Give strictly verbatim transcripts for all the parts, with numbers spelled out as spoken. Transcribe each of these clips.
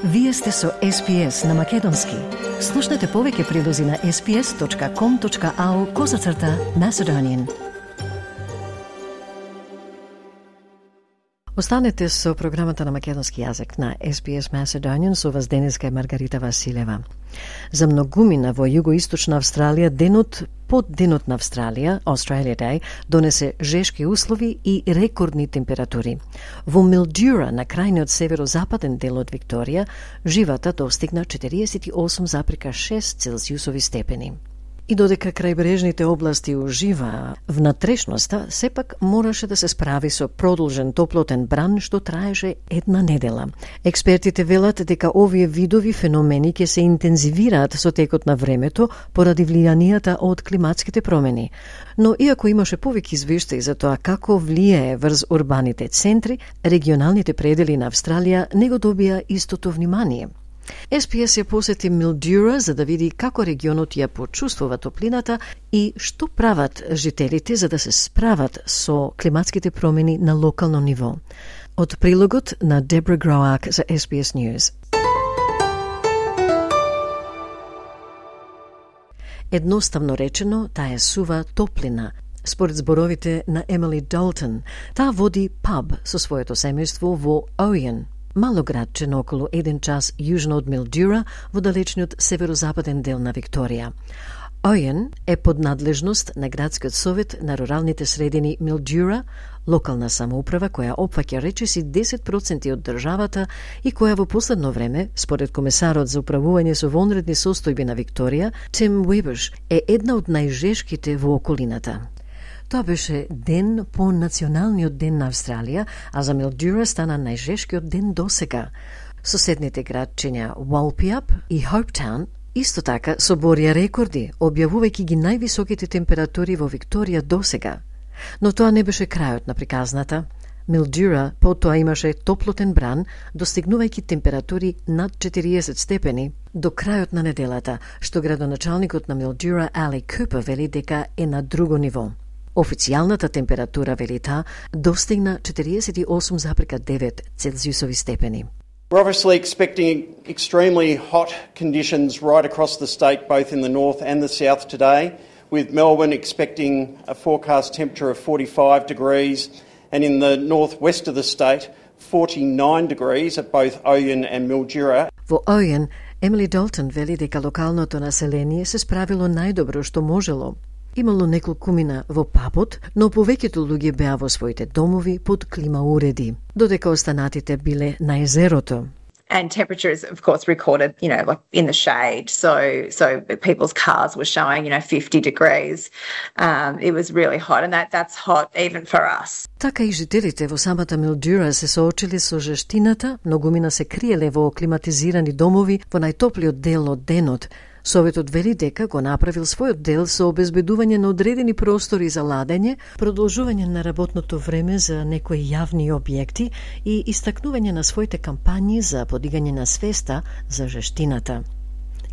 Вие сте со Ес Би Ес на Македонски. Слушнете повеќе прилози на ес би ес точка ком точка ау козацрта Macedonian. Останете со програмата на македонски јазик на Ес Би Ес Macedonian со вас денеска е Маргарита Василева. За многумина во југоисточна Австралија денот под денот на Австралија, Australia Day, донесе жешки услови и рекордни температури. Во Милдюра, на крајниот северозападен дел од Викторија, живата достигна четириесет и осум запирка шест целзиусови степени. И додека крајбрежните области уживаа внатрешноста, сепак мораше да се справи со продолжен топлотен бран што траеше една недела. Експертите велат дека овие видови феномени ќе се интензивираат со текот на времето поради влијанијата од климатските промени. Но иако имаше повеќе извештаи за тоа како влијае врз урбаните центри, регионалните предели на Австралија не го добија истото внимание. Ес Би Ес ја посети Милдюра за да види како регионот ја почувствува топлината и што прават жителите за да се справат со климатските промени на локално ниво. Од прилогот на Дебра Гроак за Ес Би Ес News. Едноставно речено, таа е сува топлина. Според зборовите на Емили Долтон, таа води паб со своето семејство во Ојен, мало градче на околу еден час јужно од Милдюра во далечниот северозападен дел на Викторија. Ојен е под надлежност на градскиот совет на руралните средини Милдюра, локална самоуправа која опфаќа речиси десет проценти од државата и која во последно време, според комесарот за управување со вонредни состојби на Викторија, Тим Уеберш, е една од најжешките во околината. Тоа беше ден по Националниот ден на Австралија, а за Милдюра стана најжешкиот ден досега. Соседните градчиња Валпиап и Хоуптаун исто така соборија рекорди, објавувајќи ги највисоките температури во Викторија досега. Но тоа не беше крајот на приказната. Милдюра потоа имаше топлотен бран, достигнувајќи температури над четириесет степени до крајот на неделата, што градоначалникот на Милдюра Али Купер вели дека е на друго ниво. Официјалната температура, вели таа, достигна четириесет и осум запирка девет целзиусови степени. We're obviously expecting extremely hot conditions right across the state, both in the north and the south today, with Melbourne expecting a forecast temperature of forty-five degrees, and in the northwest of the state, forty-nine degrees at both Oyen and Mildura. Во Ојен, Емили Долтон вели дека локалното население се справило најдобро што можело. Имало неколкумина во пабот, но повеќето луѓе беа во своите домови под клима уреди, додека останатите биле на езерото. And temperatures, of course, recorded, you know, like in the shade. So, so people's cars were showing, you know, fifty degrees. Um, it was really hot, and that that's hot even for us. Така и жителите во самата Милдюра се соочили со жештината, многумина се криеле во климатизирани домови во најтоплиот дел од денот. Советот вели дека го направил својот дел со обезбедување на одредени простори за ладење, продолжување на работното време за некои јавни објекти и истакнување на своите кампањи за подигање на свеста за жештината.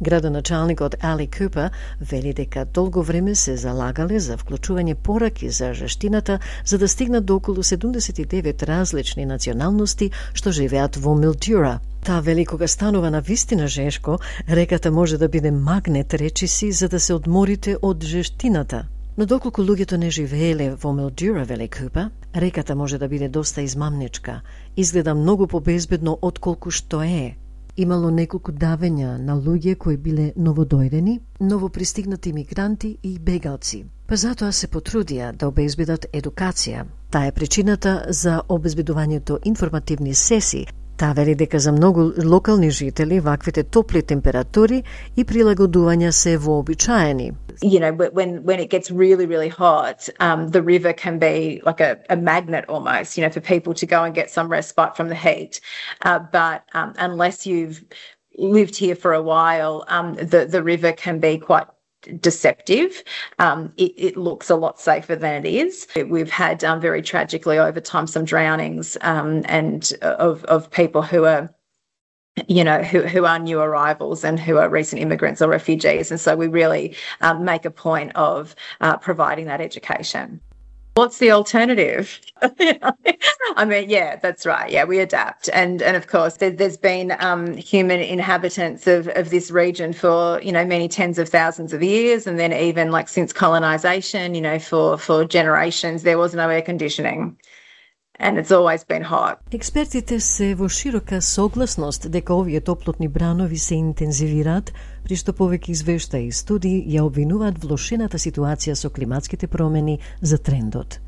Градоначалникот Али Купер вели дека долго време се залагале за вклучување пораки за жештината за да стигнат до околу седумдесет и девет различни националности што живеат во Милдюра. Таа вели кога станува на вистина жешко, реката може да биде магнет речиси за да се одморите од жештината. Но доколку луѓето не живееле во Милдюра, вели Купер, реката може да биде доста измамничка. Изгледа многу побезбедно отколку што е. Имало неколку давења на луѓе кои биле новодојдени, новопристигнати мигранти и бегалци. Па затоа се потрудија да обезбедат едукација. Таа е причината за обезбедувањето информативни сесии. Таа вели дека за многу локални жители ваквите топли температури и прилагодувања се вообичаени. You know, when when it gets really, really hot, um, the river can be like a, a magnet almost, you know, for people to go and get some respite from the heat. Uh, but um, unless you've lived here for a while, um, the, the river can be quite deceptive. Um, it, it looks a lot safer than it is. We've had um, very tragically over time some drownings um, and of, of people who are you know, who, who are new arrivals and who are recent immigrants or refugees. And so we really um, make a point of uh, providing that education. What's the alternative? I mean, yeah, that's right. Yeah, we adapt. And and of course, there, there's been um, human inhabitants of, of this region for, you know, many tens of thousands of years. And then even like since colonization, you know, for, for generations, there was no air conditioning. And it's always been hot. Експертите се во широка согласност дека овие топлотни бранови се интензивираат, при што повеќе извештаи и студии ја обвинуваат влошената ситуација со климатските промени за трендот.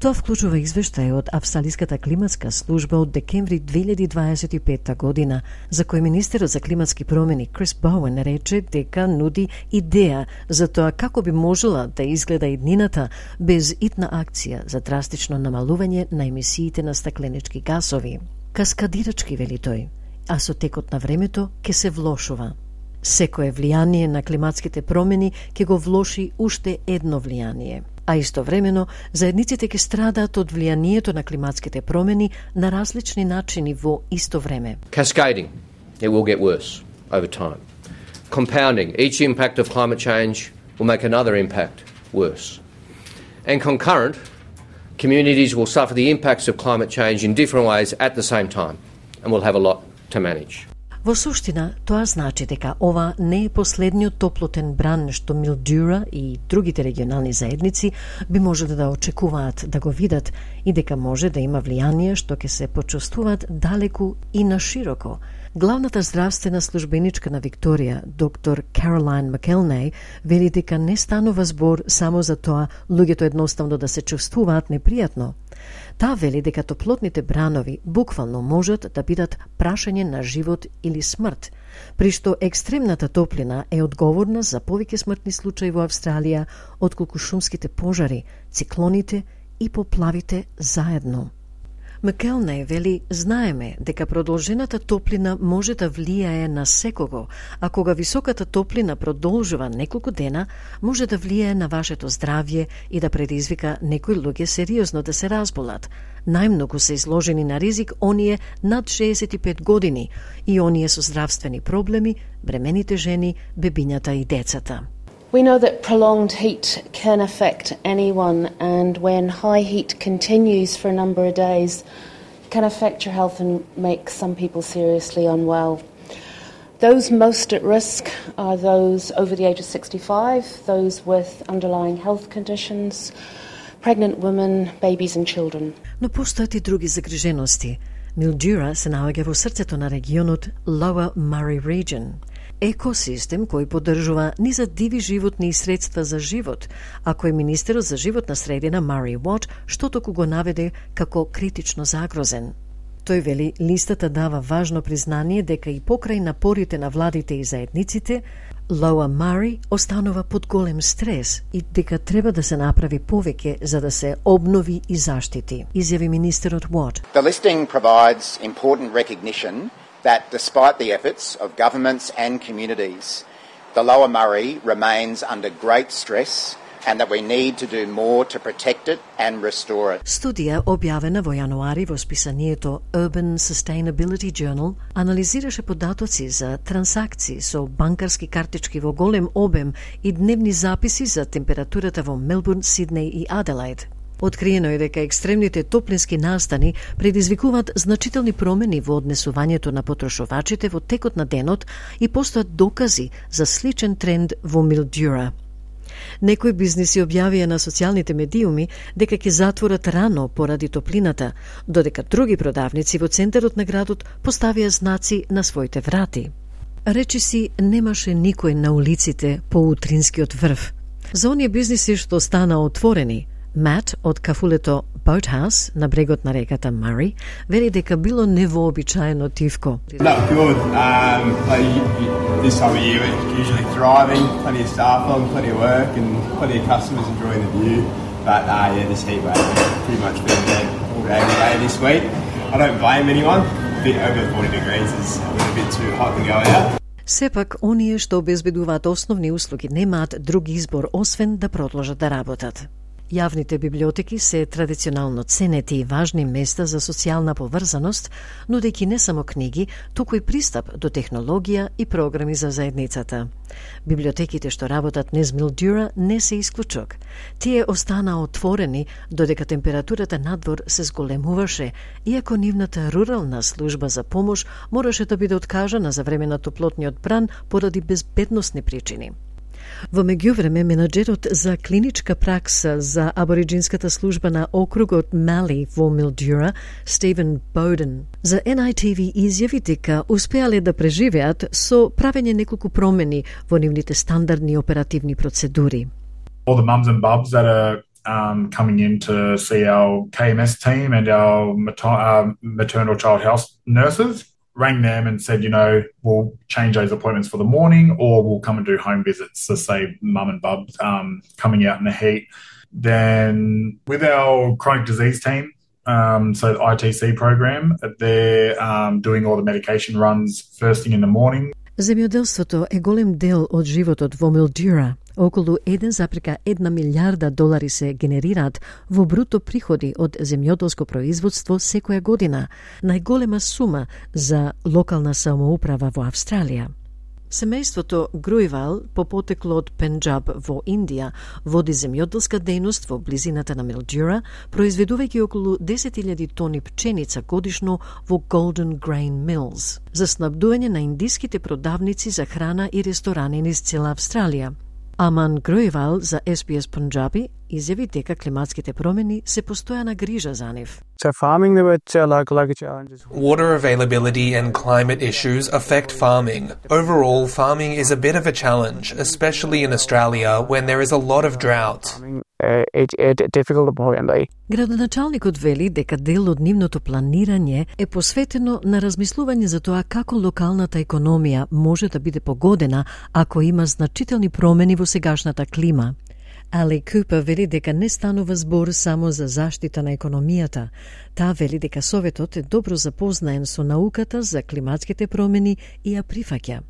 Тоа вклучува извештај од Австралиската климатска служба од декември две илјади дваесет и петта година, за кој министерот за климатски промени Крис Боуен рече дека нуди идеја за тоа како би можела да изгледа иднината без итна акција за драстично намалување на емисиите на стакленички гасови. Каскадирачки, вели тој, а со текот на времето ќе се влошува. Секое влијание на климатските промени ќе го влоши уште едно влијание. А истовремено, заедниците ќе страдаат од влијанието на климатските промени на различни начини во исто време. Cascading, it will get worse over time. Compounding, each impact of climate change will make another impact worse. And concurrent, communities will suffer the impacts of climate change in different ways at the same time, and will have a lot to manage. Во суштина, тоа значи дека ова не е последниот топлотен бран што Милдюра и другите регионални заедници би можеле да очекуваат да го видат и дека може да има влијание што ќе се почувствуваат далеку и на широко. Главната здравствена службеничка на Викторија, доктор Каролайн Макелнеј, вели дека не станува збор само за тоа луѓето едноставно да се чувствуваат непријатно. Таа вели дека топлотните бранови буквално можат да бидат прашање на живот или смрт, при што екстремната топлина е одговорна за повеќе смртни случаи во Австралија отколку шумските пожари, циклоните и поплавите заедно. Макелнеј вели, знаеме дека продолжената топлина може да влијае на секого, а кога високата топлина продолжува неколку дена, може да влијае на вашето здравје и да предизвика некои луѓе сериозно да се разболат. Најмногу се изложени на ризик оние над шеесет и пет години и оние со здравствени проблеми, бремените жени, бебињата и децата. We know that prolonged heat can affect anyone, and when high heat continues for a number of days, it can affect your health and make some people seriously unwell. Those most at risk are those over the age of sixty-five, those with underlying health conditions, pregnant women, babies and children. Но постојат и други загрижености. Милдюра се наоѓа во срцето на регионот Lower Murray Region. Екосистем кој поддржува низа диви животни и средства за живот, а кој министерот за животна средина Мари Уот што току го наведе како критично загрозен. Тој вели листата дава важно признание дека и покрај напорите на владите и заедниците, Lower Murray останува под голем стрес и дека треба да се направи повеќе за да се обнови и заштити, изјави министерот Уот. The listing provides important recognition that despite the efforts of governments and communities, the Lower Murray remains under great stress and that we need to do more to protect it and restore it. Студија објавена во јануари во списанието Urban Sustainability Journal анализираше податоци за трансакции со банкарски картички во голем обем и дневни записи за температурата во Мелбурн, Сиднеј и Аделаид. Откриено е дека екстремните топлински настани предизвикуваат значителни промени во однесувањето на потрошувачите во текот на денот и постојат докази за сличен тренд во Милдюра. Некои бизниси објавија на социјалните медиуми дека ќе затворат рано поради топлината, додека други продавници во центарот на градот поставија знаци на своите врати. Речиси немаше никој на улиците по утринскиот врв. За оние бизниси што стана отворени, Мат од кафулето Boathouse на брегот на реката Мари вели дека било невообичаено тивко. No, good. Um, like, this time of year it's usually thriving, plenty of staff on, plenty of work and plenty of customers enjoying the view. But uh, yeah, this heat wave has pretty much been dead all day every day this week. I don't blame anyone. A bit over forty degrees is a bit too hot to go out. Сепак, оние што обезбедуваат основни услуги немаат друг избор освен да продолжат да работат. Јавните библиотеки се традиционално ценети и важни места за социјална поврзаност, нудејќи не само книги, туку и пристап до технологија и програми за заедницата. Библиотеките што работат низ Милдюра не се исклучок. Тие останаа отворени додека температурата надвор се зголемуваше, иако нивната рурална служба за помош мораше да биде откажана за време на топлотниот бран поради безбедносни причини. Во меѓувреме, менаџерот за клиничка пракса за абориджинската служба на округот Мали во Милдюра, Стивен Боуден, за Ен Ай Ти Ви изјави дека успеале да преживеат со правење неколку промени во нивните стандардни оперативни процедури. All the mums and bubs that are um, coming in to see our K M S team and our mater- uh, maternal child health nurses rang them and said, you know, we'll change those appointments for the morning or we'll come and do home visits to say mum and bub um, coming out in the heat. Then with our chronic disease team, um, so the I T C program, they're um, doing all the medication runs first thing in the morning. Земјоделството е голем дел од животот во Милдюра. Околу еден запрека една милиарда долари се генерираат во бруто приходи од земјоделско производство секоја година, најголема сума за локална самоуправа во Австралија. Семејството Груивал, по потекло од Пенџаб во Индија, води земјоделска дејност во близината на Милдюра, произведувајќи околу десет илјади тони пченица годишно во Golden Grain Mills, за снабдување на индиските продавници за храна и ресторани низ цела Австралија. Аман Груивал за Ес Би Ес Пенџаби изјави дека климатските промени се постојана грижа за нив. Water availability and climate issues affect farming. Overall, farming is a bit of a challenge, especially in Australia when there is a lot of drought. Градоначалникот вели дека дел од нивното планирање е посветено на размислување за тоа како локалната економија може да биде погодена ако има значителни промени во сегашната клима. Али Купер вели дека не станува збор само за заштита на економијата. Таа вели дека Советот е добро запознаен со науката за климатските промени и ја прифаќа.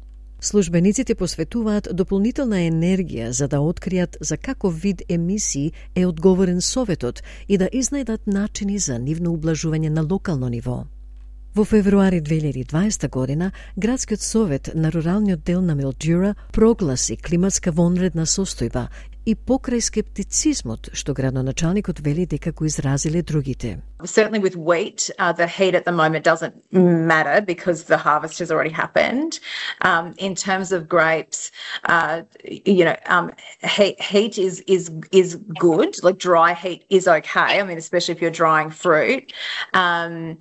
Службениците посветуваат дополнителна енергија за да откријат за каков вид емисии е одговорен Советот и да изнајдат начини за нивно ублажување на локално ниво. Во февруари две илјади и дваесета година, Градскиот совет на руралниот дел на Милдюра прогласи климатска вонредна состојба и покрај скептицизмот што градоначалникот вели дека го изразиле другите. Certainly with wheat, uh, the heat at the moment doesn't matter because the harvest has already happened. Um, in terms of grapes, uh, you know, um, heat, heat is is is good. Like dry heat is okay. I mean, especially if you're drying fruit. Um,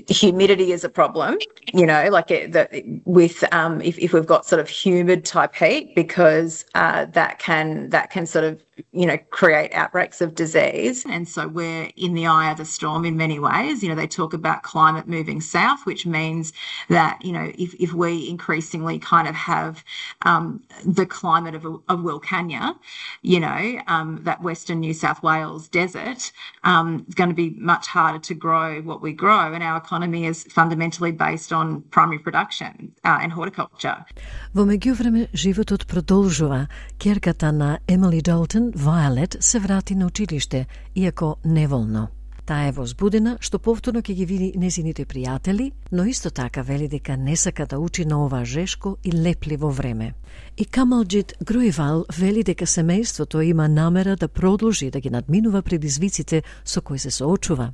Humidity is a problem, you know, like it, the, with um, if, if we've got sort of humid type heat, because uh, that can that can sort of you know create outbreaks of disease. And so we're in the eye of the storm in many ways. You know, they talk about climate moving south, which means that you know if if we increasingly kind of have um, the climate of, of Wilcannia, you know, um, that Western New South Wales desert, um, is going to be much harder to grow what we grow, and our economy is fundamentally based on primary production uh, and horticulture. Во меѓувреме, животот продолжува. Ќерката на Емили Долтон, Вајолет, се врати на училиште, иако неволно. Таа е возбудена што повторно ќе ги види незините пријатели, но исто така вели дека не сака да учи на ова жешко и лепливо време. И Камалџит Груивал вели дека семејството има намера да продолжи да ги надминува предизвиците со кои се соочува.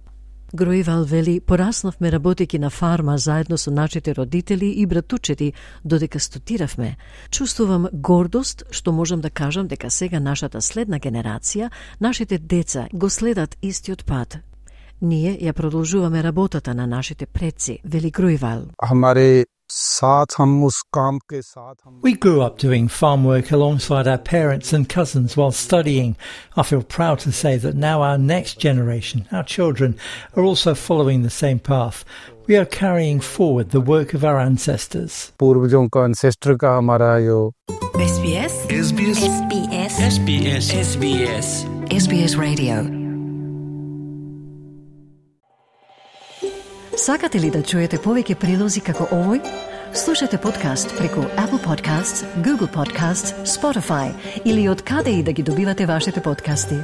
Груивал вели, пораснавме работејќи на фарма заедно со нашите родители и братучети додека студиравме. Чувствувам гордост што можам да кажам дека сега нашата следна генерација, нашите деца го следат истиот пат. Ние ја продолжуваме работата на нашите предци, вели Груивал. We grew up doing farm work alongside our parents and cousins while studying. I feel proud to say that now our next generation, our children, are also following the same path. We are carrying forward the work of our ancestors. S B S S B S S B S S B S S B S S B S Radio. Сакате ли да чуете повеќе прилози како овој? Слушате подкаст преку Apple Podcasts, Google Podcasts, Spotify или од каде и да ги добивате вашите подкасти.